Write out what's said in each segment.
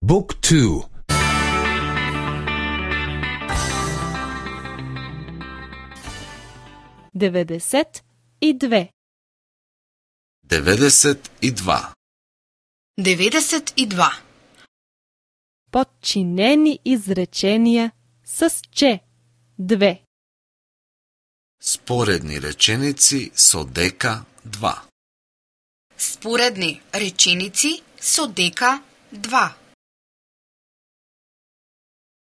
Book 2. 92. 92. 92. Подчинени изреченија с че. 2. Споредни реченици со дека 2. Споредни реченици со дека 2.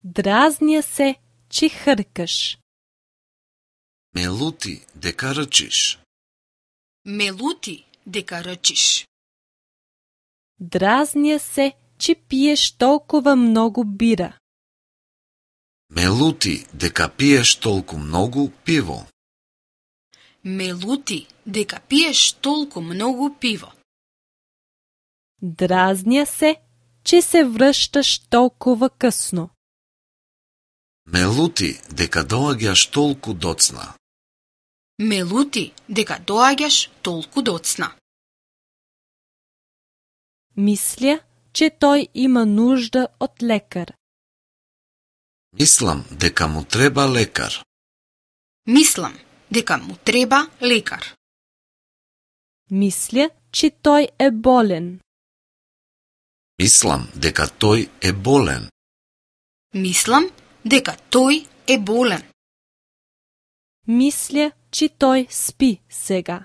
Дразня се, че хркаш. Ме лути дека рчиш. Ме лути дека рчиш. Дразня се, че пиеш толкова много бира. Ме лути дека пиеш толку многу пиво. Ме лути дека пиеш толку многу пиво. Дразня се, че се връщаш толкова късно. Ме лути дека доаѓаш толку доцна. Ме лути дека доаѓаш толку доцна. Мисля, че той има нужда от лекар. Мислам дека му треба лекар. Мислам дека му треба лекар. Мисля, че той е болен. Мислам дека тој е болен. Мислам дека тој е болен. Мисля, че той спи сега.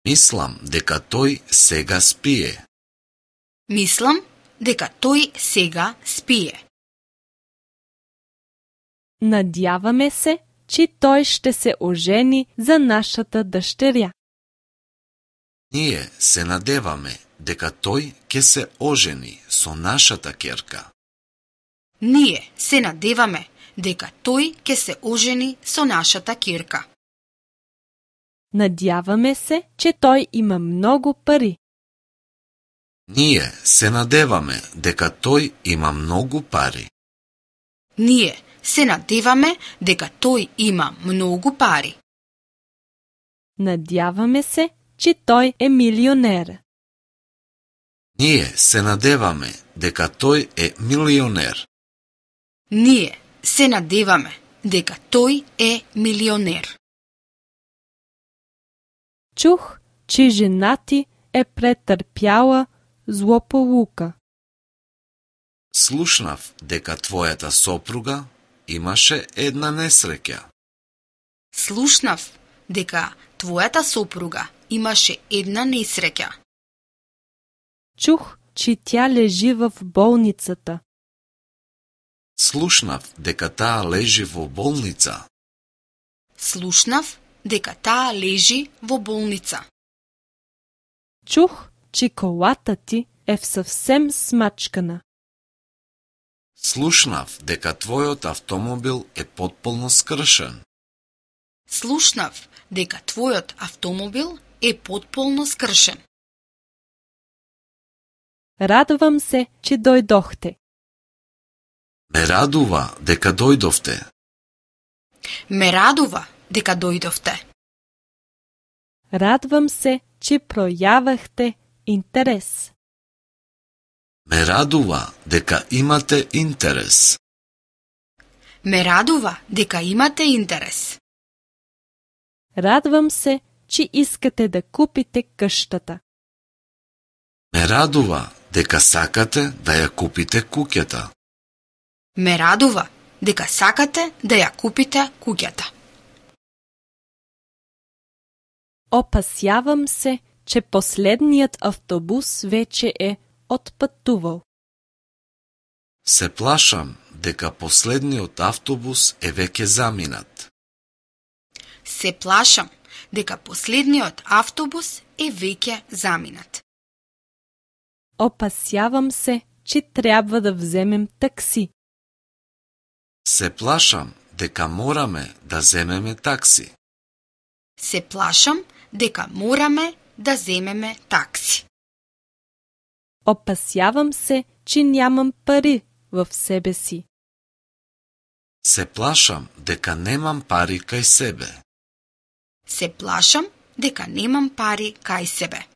Мислам дека тој сега спие. Мислам дека тој сега спие. Надяваме се, че той ще се ожени за нашата дъщеря. Ние се надеваме дека тој ќе се ожени со нашата ќерка. Ние се надеваме дека тој ќе се ожени со нашата ќерка. Надяваме се, че той има много пари. Ние се надеваме дека тој има многу пари. Ние се надеваме дека тој има многу пари. Надяваме се, че той е милионер. Ние се надеваме дека тој е милионер. Ние се надеваме дека тој е милионер. Чух, че жена ти е претърпяла злополука. Слушнав дека твојата сопруга имаше една несреќа. Слушнав дека твојата сопруга имаше една несреќа. Чух, че тя лежи в болницата. Слушнав дека таа лежи во болница. Слушнав дека таа лежи во болница. Чух, че колата ти е съвсем смачкана. Слушнав дека твојот автомобил е потполно скршен. Слушнав дека твојот автомобил е потполно скршен. Радвам се, че дойдохте. Ме радува дека дојдовте. Ме радува дека дојдовте. Радвам се, че проявахте интерес. Ме радува дека имате интерес. Ме радува дека имате интерес. Радвам се, че искате да купите къщата. Ме радува дека сакате да ја купите куќата. Ме радува дека сакате да ја купите куќата. Опасявам се, че последният автобус вече е отпътувал. Се плашам дека последниот автобус е веќе заминат. Се плашам дека последниот автобус е веќе заминат. Опасявам се, че трябва да вземем такси. Се плашам дека мораме да земеме такси. Се плашам дека мораме да земеме такси. Опасявам се, че нямам пари в себе си. Се плашам дека немам пари кај себе. Се плашам дека немам пари кај себе.